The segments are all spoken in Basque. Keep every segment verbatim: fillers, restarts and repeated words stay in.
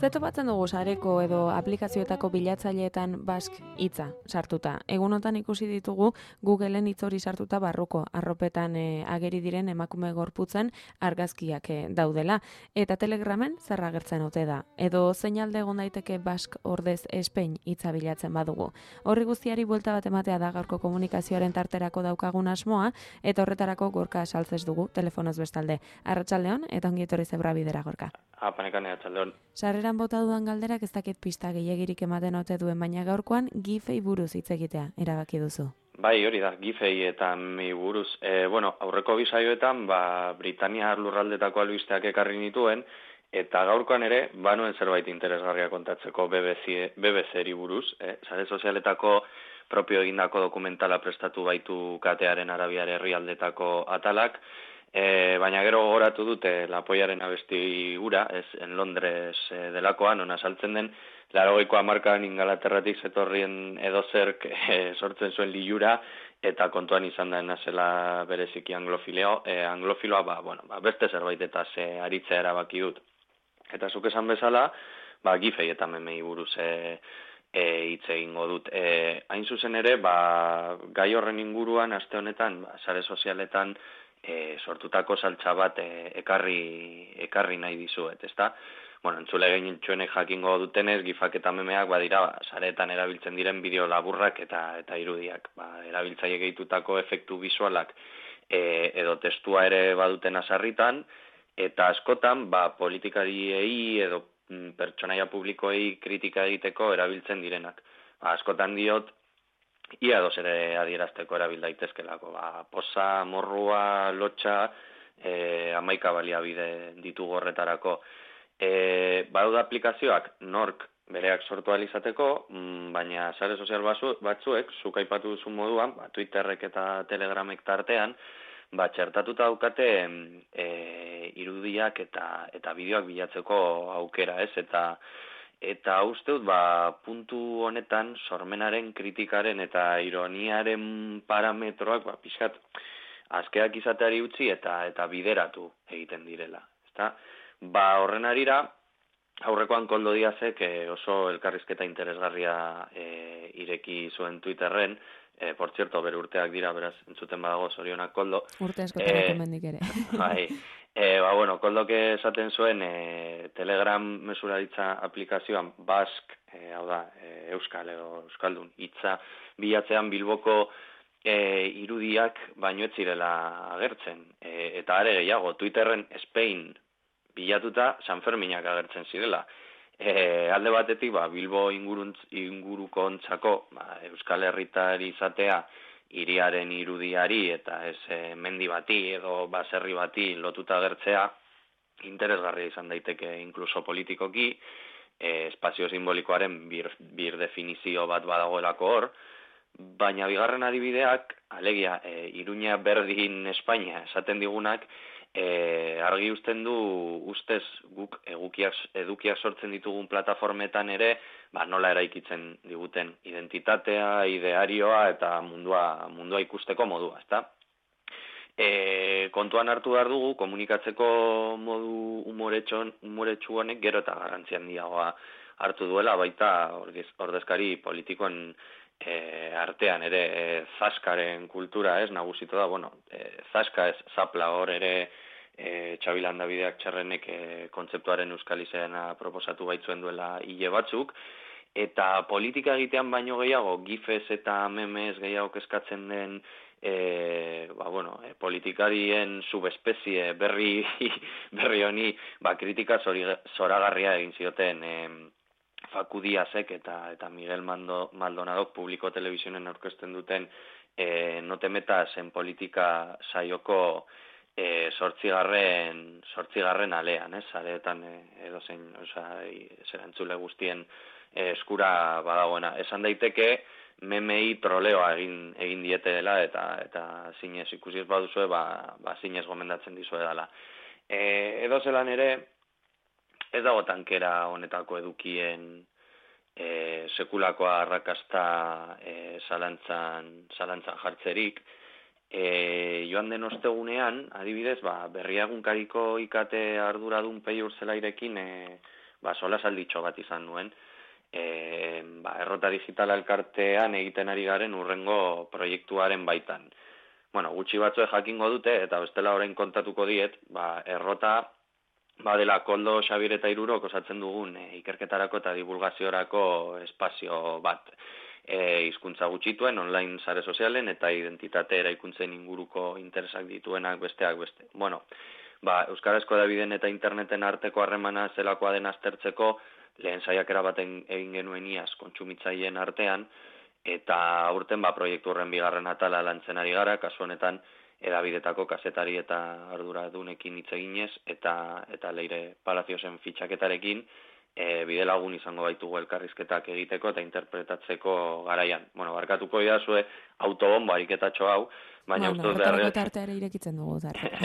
Zetopatzen dugu sareko edo aplikazioetako bilatzaileetan Basque hitza sartuta. Egunotan ikusi ditugu Googleen hitz hori sartuta barruko arropetan e, ageri diren emakume gorputzen argazkiak e, daudela. Eta Telegramen zer agertzen ote da. Edo zein alde egon daiteke Basque ordez Espain hitza bilatzen badugu. Horri guztiari buelta bat ematea da gaurko komunikazioaren tarterako daukagun asmoa, eta horretarako Gorka saltzez dugu telefonoz bestalde. Arratsaldeon eta ongi etorri Zebra Bidera, Gorka. Apanekane atxaldeon. Sarreran bota dudan galderak ez dakit pista gehiagirik ematen ote duen, baina gaurkoan gifei buruz hitz egitea erabaki duzu. Bai, hori da, gifei eta mi buruz. E, bueno, aurreko bisaioetan, ba, Britania lurraldetako albisteak ekarri nituen, eta gaurkoan ere, banuen zerbait interesgarria kontatzeko B B C, B B C-eri buruz. Eh? Sare sozialetako propio egindako dokumentala prestatu baitu katearen arabiar herrialdetako atalak, E, baina gero gogoratu dute Lapoiaren abesti ura, ez, en Londres e, delakoan, ona saltzen den, laurogeiko hamarkadan Ingalaterratik zetorrien edozerk e, sortzen zuen lilura, eta kontuan izan da nazela bereziki anglofileo, e, anglofiloa, ba, bueno, ba, beste zerbait eta ze aritzea erabaki dut. Eta zuk esan bezala, ba, gifei eta memei buruz e, e, hitz egingo dut. E, hain zuzen ere, ba, gai horren inguruan, aste honetan, ba, sare sozialetan, E, sortutako saltza bat e, ekarri, ekarri nahi dizuet, ezta? Bueno, entzule genitxuenek jakingo dutenez, gifak eta memeak badira, ba, saretan erabiltzen diren bideo laburrak eta eta irudiak. Ba, erabiltzaile gehitutako efektu bisualak e, edo testua ere baduten azarritan, eta askotan, ba, politikariei edo mm, pertsonaia publikoei kritika egiteko erabiltzen direnak. Ba, askotan diot, ia dos ere adierazteko erabil daitezkelako. Ba, posa, morrua, lotxa, e, amaika baliabide ditugu horretarako. E, badaude aplikazioak nork bereak sortu alizateko, baina sare sozial batzuek, zuk aipatu duzun moduan, ba, Twitterrek eta Telegramek tartean, ba, txertatuta daukate e, irudiak eta, eta bideoak bilatzeko aukera, ez? Eta Eta uste dut, ba, puntu honetan, sormenaren, kritikaren eta ironiaren parametroak, ba, pixkat, askeak izateari utzi eta eta bideratu egiten direla. Ezta? Ba, horren arira, aurrekoan Koldo Diazek eh, oso elkarrizketa interesgarria eh, ireki zuen Twitterren, eh, por cierto, bere urteak dira, beraz, entzuten badago, zorionak Koldo. Urte askotan eh, mendik ere. Bai. E, ba, bueno, Koldok esaten zuen e, Telegram mesuraritza aplikazioan Basque, e, hau da, e, Euskal edo Euskaldun, hitza bilatzean Bilboko e, irudiak baino ez zirela agertzen. E, eta are gehiago, Twitterren Spain bilatuta San Ferminak agertzen zirela. E, alde batetik, ba, Bilbo inguruntz, inguruko ontzako, ba, Euskal Herritari izatea, hiriaren irudiari eta ez e, mendi bati edo baserri bati lotuta agertzea interesgarria izan daiteke inkluso politikoki, e, espazio simbolikoaren bir, bir definizio bat badagoelako hor, baina bigarren adibideak, alegia, e, Iruña berdin Espainia esaten digunak, e, argi uzten du ustez guk egukiak, edukiak sortzen ditugun plataformetan ere, ba, nola eraikitzen diguten identitatea, idearioa eta mundua, mundua ikusteko modua, ezta? E, kontuan hartu behar dugu, komunikatzeko modu umoretsu honek gero eta garrantzi handiagoa hartu duela, baita ordez, ordezkari politikoen e, artean ere e, zaskaren kultura, ez, nagusitu da, bueno, e, zaska ez, zapla hor ere e, Txabilanda bideak txarrenek e, kontzeptuaren euskal izena proposatu baitzuen duela hile batzuk, eta politika egitean baino gehiago, gifez eta memez gehiago eskatzen den E, ba, bueno, e, politikarien subespezie berri berri honi ba, kritika zori, zoragarria egin zioten e, Facu Diazek eta, eta Miguel Mando, Maldonadok publiko telebizionen aurkezten duten e, no te metas en politika saioko e, sortzigarren, sortzigarren alean, ez? Areetan e, edo zein, oza, zera entzule guztien e, eskura badagoena. Esan daiteke, memei troleoa egin egin diete dela eta eta zinez ikusi ez baduzue, ba, ba zinez gomendatzen dizue dela. E, edo zelan ere, ez dago tankera honetako edukien e, sekulakoa arrakasta e, zalantzan, zalantzan jartzerik. E, joan den ostegunean, adibidez, ba, berriagunkariko ikate arduradun Peiur Zelairekin e, ba, sola salditxo bat izan nuen. E, ba, errota digitala elkartean egiten ari garen urrengo proiektuaren baitan. Bueno, gutxi batzue jakingo dute, eta bestela orain kontatuko diet, ba, errota badela Koldo, Xabir eta Irurok osatzen dugun e, ikerketarako eta divulgaziorako espazio bat. E, hizkuntza gutxituen, online sare sozialen eta identitate eraikuntzen inguruko interesak dituenak besteak beste. Bueno, ba, euskarazko hedabideen eta interneten arteko harremana zelakoa den aztertzeko, lehen saiakera baten egin genuen iaz kontsumitzaileen artean, eta aurten ba, proiektu horren bigarren atala lantzen ari gara, kasu honetan hedabidetako kazetari eta arduradunekin hitz eginez, eta, eta Leire Palaziosen fitxaketarekin, E, bide lagun izango baitugu elkarrizketak egiteko eta interpretatzeko garaian. Bueno, barkatuko idazue autobombo ariketatxo hau, baina bueno, ustuz beharrez... tartea ere irekitzen dugu tartea.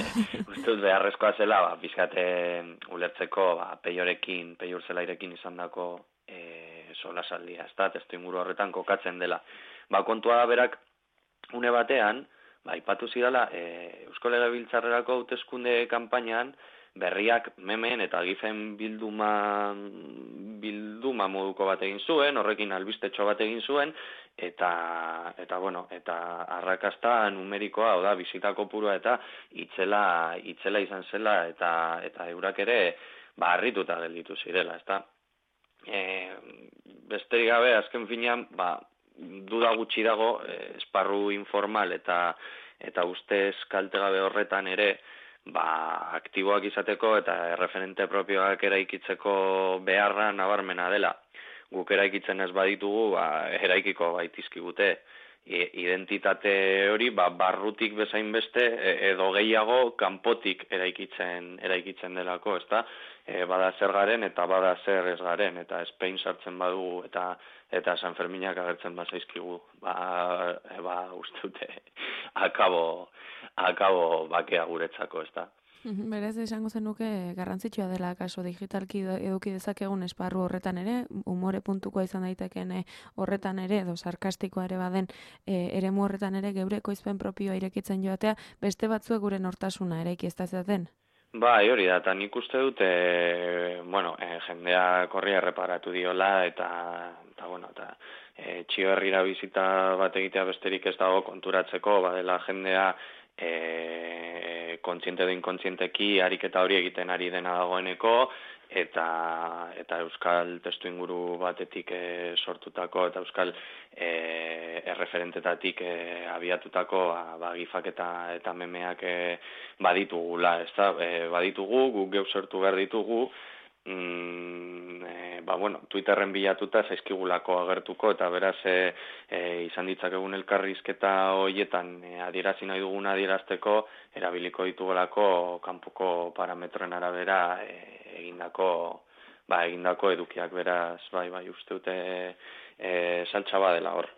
Ustuz beharrezkoa zela, ba, bizkate ulertzeko, ba, peiorekin, peiur zelairekin izan dako e, solasaldia, ez da, testu inguru horretan kokatzen dela. Ba, kontua berak, une batean, ba, ipatu zidala, e, Eusko Legebiltzarrerako hauteskunde kanpainan, berriak memen eta gifen bilduma, bilduma moduko bat egin zuen, horrekin albistetxo bat egin zuen, eta, eta bueno, eta arrakasta numerikoa, oda, bizita kopurua eta itzela, itzela izan zela, eta, eta eurak ere, ba, harrituta gelditu zirela, ezta? E, besterik gabe, azken finean, ba, duda gutxi dago, e, esparru informal eta, eta ustez kaltegabe horretan ere, ba, aktiboak izateko eta erreferente propioak eraikitzeko beharra nabarmena dela. Guk eraikitzen ez baditugu, ba, eraikiko baitizkigute. Identitate hori, ba, barrutik bezain beste edo gehiago kanpotik eraikitzen eraikitzen delako, ezta? E, bada zer garen eta bada zer ez garen, eta Spain sartzen badugu eta eta San Ferminak agertzen bazaizkigu, ba, e, ba uste dute akabo, akabo bakea guretzako, ezta? Berez, esango zenuke garrantzitsua dela kaso digitalki eduki dezakegun esparru horretan ere, umore puntukoa izan daiteken horretan ere, edo sarkastikoa ere baden, e, eremu horretan ere geure ekoizpen propioa irekitzen joatea, beste batzuek gure nortasuna ere ikiestazaten? Bai, hori da, eta nik uste dute, bueno, e, jendea korria erreparatu diola, eta, eta bueno, eta e, txio herrira bizita bat egitea besterik ez dago konturatzeko, badela jendea, E, kontziente edo inkontzienteki ariketa hori egiten ari dena dagoeneko eta eta euskal testu inguru batetik e, sortutako eta euskal e, erreferentetatik e, abiatutako ba, gifak eta, eta memeak e, baditugula, ez da? E, baditugu, guk geu sortu behar ditugu, Mm, e, ba, bueno, Twitterren bilatuta zaizkigulako agertuko eta beraz e, e, izan ditzakegun elkarrizketa horietan e, adierazi nahi dugun adierazteko erabiliko ditugulako kanpoko parametroen arabera e, egindako ba, egindako edukiak, beraz bai bai uste dute e, saltza badela hor.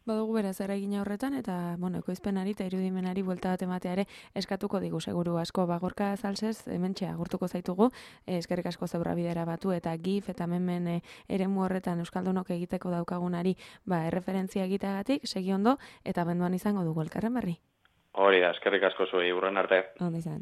Badugu beraz eragina horretan eta bueno, ekoizpenari eta irudimenari buelta bat ematea ere eskatuko digu seguru asko. Ba, Gorka Zalsez hementxe agurtuko zaitugu, eskerrik asko zeurra bidera batu eta gif eta memen e, eremu horretan euskaldunok egiteko daukagunari ba, erreferentzia egiteagatik, segi ondo eta benduan izango dugu elkarren berri. Hori da, eskerrik asko zuei, urren arte. Ondo izan.